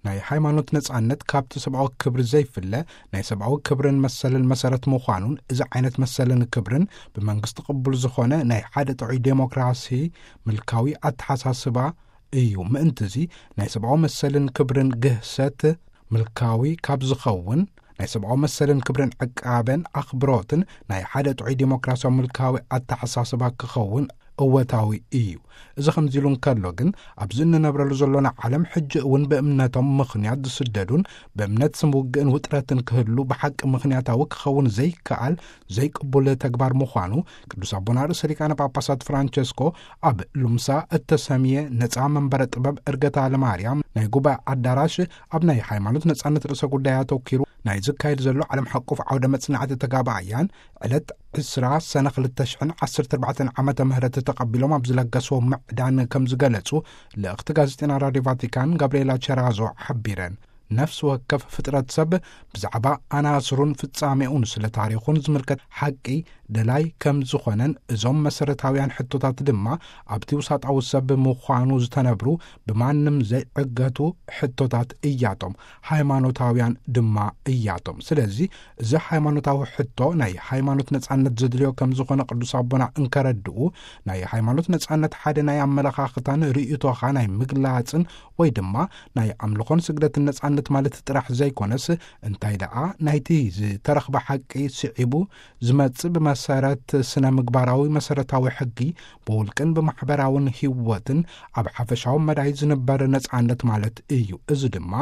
ናይ ሃይማኖት ነጻነት ካብቲ ሰብኣዊ ክብሪ ዘይፍለ ናይ ሰብኣዊ ክብርን መሰልን መሰረት ምዃኑን፣ እዚ ዓይነት መሰልን ክብርን ብመንግስቲ ቅቡል ዝኾነ ናይ ሓደ ጥዑይ ዴሞክራሲ ምልካዊ ኣተሓሳስባ እዩ። ምእንቲ እዚ ናይ ሰብኣዊ መሰልን ክብርን ግህሰት ምልካዊ ካብ ዝኸውን፣ ናይ ሰብኣዊ መሰልን ክብርን ዕቃበን ኣኽብሮትን ናይ ሓደ ጥዑይ ዴሞክራሲያዊ ምልካዊ ኣተሓሳስባ ክኸውን እወታዊ እዩ። እዚ ከምዚ ኢሉ እንከሎ ግን፣ ኣብዚ እንነብረሉ ዘሎና ዓለም ሕጂ እውን ብእምነቶም ምኽንያት ዝስደዱን ብእምነት ስም ውግእን ውጥረትን ክህሉ ብሓቂ ምኽንያታዊ ክኸውን ዘይከኣል ዘይቅቡል ተግባር ምዃኑ፣ ቅዱስ ኣቦና ርእሰ ሊቃነ ጳጳሳት ፍራንቸስኮ ኣብ ሉምሳ እተሰምየ ነጻ መንበረ ጥበብ እርገታ ለማርያም ናይ ጉባኤ ኣዳራሽ፣ ኣብ ናይ ሃይማኖት ነጻነት ርእሰ ጉዳይ ኣተኪሩ ናይ ዝካየድ ዘሎ ዓለም ሓቆፍ ዓውደ መጽናዕቲ ተጋባእያን ዕለት ዕስራ ሰነ ክልተ ሽሕን ዓሰርተ ኣርባዕተን ዓመተ ምህረት ተቐቢሎም ኣብ ዝለገስዎ ምዕዳን ከም ዝገለጹ ልእኽቲ ጋዜጠና ራድዮ ቫቲካን ጋብርኤላ ቸራዞ ሓቢረን። ነፍሲ ወከፍ ፍጥረት ሰብ ብዛዕባ ኣናስሩን ፍጻሜኡን ስለ ታሪኹን ዝምልከት ሓቂ ደላይ ከም ዝኾነን፣ እዞም መሰረታውያን ሕቶታት ድማ ኣብቲ ውሳጣዊ ሰብ ምዃኑ ዝተነብሩ ብማንም ዘይዕገቱ ሕቶታት እያቶም፣ ሃይማኖታውያን ድማ እያቶም። ስለዚ እዚ ሃይማኖታዊ ሕቶ ናይ ሃይማኖት ነጻነት ዘድልዮ ከም ዝኾነ ቅዱስ ኣቦና እንከረድኡ፣ ናይ ሃይማኖት ነጻነት ሓደ ናይ ኣመለኻኽታን ርእይቶኻ ናይ ምግላጽን ወይ ድማ ናይ ኣምልኾን ስግደትን ነጻነት ማለት ጥራሕ ዘይኮነስ፣ እንታይ ደኣ ናይቲ ዝተረኽበ ሓቂ ስዒቡ ዝመጽእ ብመሰረት ስነ ምግባራዊ መሰረታዊ ሕጊ ብውልቅን ብማሕበራውን ህይወትን ኣብ ሓፈሻዊ መዳይ ዝንበር ነጻነት ማለት እዩ። እዚ ድማ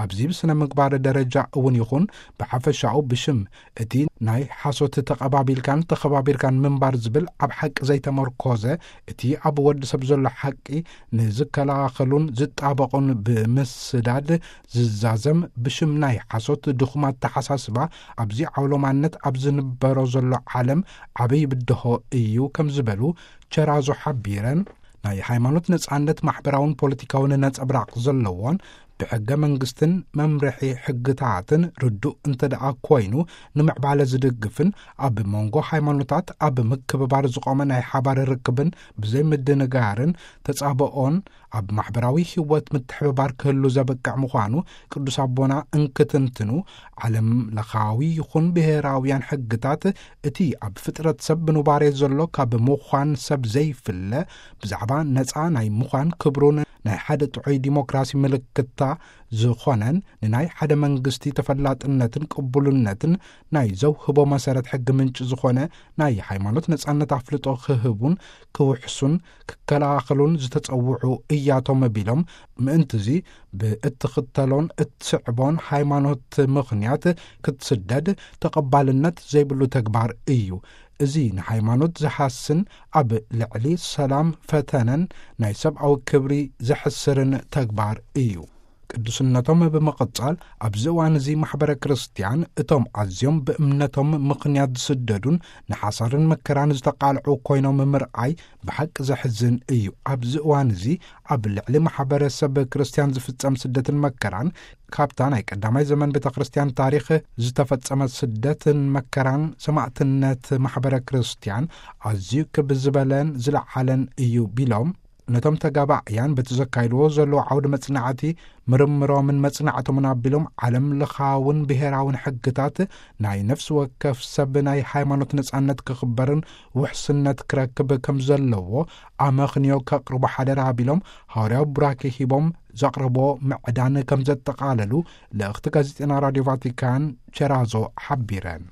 ኣብዚ ብስነ ምግባር ደረጃ እውን ይኹን ብሓፈሻኡ ብሽም እቲ ናይ ሓሶት ተቐባቢልካን ተኸባቢርካን ምንባር ዝብል ኣብ ሓቂ ዘይተመርኮዘ፣ እቲ ኣብ ወዲ ሰብ ዘሎ ሓቂ ንዝከላኸሉን ዝጣበቑን ብምስዳድ ዝዛዘም ብሽም ናይ ሓሶት ድኹም ኣተሓሳስባ ኣብዚ ዓውሎማነት ኣብ ዝንበሮ ዘሎ ዓለም ዓብይ ብድሆ እዩ ከም ዝበሉ ቸራዞ ሓቢረን፣ ናይ ሃይማኖት ነጻነት ማሕበራውን ፖለቲካውን ነጸብራቕ ዘለዎን ብሕገ መንግስትን መምርሒ ሕግታትን ርዱእ እንተ ደኣ ኮይኑ ንምዕባለ ዝድግፍን፣ ኣብ መንጎ ሃይማኖታት ኣብ ምክብባር ዝቖመ ናይ ሓባር ርክብን ብዘይምድንጋርን ተጻብኦን ኣብ ማሕበራዊ ህይወት ምትሕብባር ክህሉ ዘበቅዕ ምዃኑ ቅዱስ ኣቦና እንክትንትኑ፣ ዓለም ለኻዊ ይኹን ብሔራውያን ሕግታት እቲ ኣብ ፍጥረት ሰብ ብኑባሬ ዘሎ ካብ ምዃን ሰብ ዘይፍለ ብዛዕባ ነጻ ናይ ምዃን ክብሩን ናይ ሓደ ጥዑይ ዲሞክራሲ ምልክታ ዝኾነን ንናይ ሓደ መንግስቲ ተፈላጥነትን ቅቡልነትን ናይ ዘውህቦ መሰረት ሕጊ ምንጪ ዝኾነ ናይ ሃይማኖት ነጻነት ኣፍልጦ ክህቡን ክውሕሱን ክከላኸሉን ዝተጸውዑ እያቶም ቢሎም፣ ምእንትዚ ብእትኽተሎን እትስዕቦን ሃይማኖት ምኽንያት ክትስደድ ተቐባልነት ዘይብሉ ተግባር እዩ። እዚ ንሃይማኖት ዝሃስን ኣብ ልዕሊ ሰላም ፈተነን ናይ ሰብኣዊ ክብሪ ዘሕስርን ተግባር እዩ። ቅዱስነቶም ብምቕጻል፣ ኣብዚ እዋን እዚ ማሕበረ ክርስትያን እቶም ኣዝዮም ብእምነቶም ምኽንያት ዝስደዱን ንሓሳርን መከራን ዝተቃልዑ ኮይኖም ምርኣይ ብሓቂ ዘሕዝን እዩ። ኣብዚ እዋን እዚ ኣብ ልዕሊ ማሕበረሰብ ክርስትያን ዝፍጸም ስደትን መከራን ካብታ ናይ ቀዳማይ ዘመን ቤተ ክርስትያን ታሪኽ ዝተፈጸመ ስደትን መከራን ሰማዕትነት ማሕበረ ክርስትያን ኣዝዩ ክብ ዝበለን ዝለዓለን እዩ ቢሎም፣ ነቶም ተጋባእያን በቲ ዘካይድዎ ዘለዉ ዓውዲ መጽናዕቲ ምርምሮምን መጽናዕቶምን ኣቢሎም ዓለም ለኻውን ብሔራውን ሕግታት ናይ ነፍሲ ወከፍ ሰብ ናይ ሃይማኖት ነጻነት ክኽበርን ውሕስነት ክረክብ ከም ዘለዎ ኣመኽንዮ ከቕርቡ ሓደራ ኣቢሎም፣ ሃዋርያዊ ቡራኬ ሂቦም ዘቕረብዎ ምዕዳን ከም ዘጠቓለሉ ልእኽቲ ጋዜጠና ራድዮ ቫቲካን ቸራዞ ሓቢረን።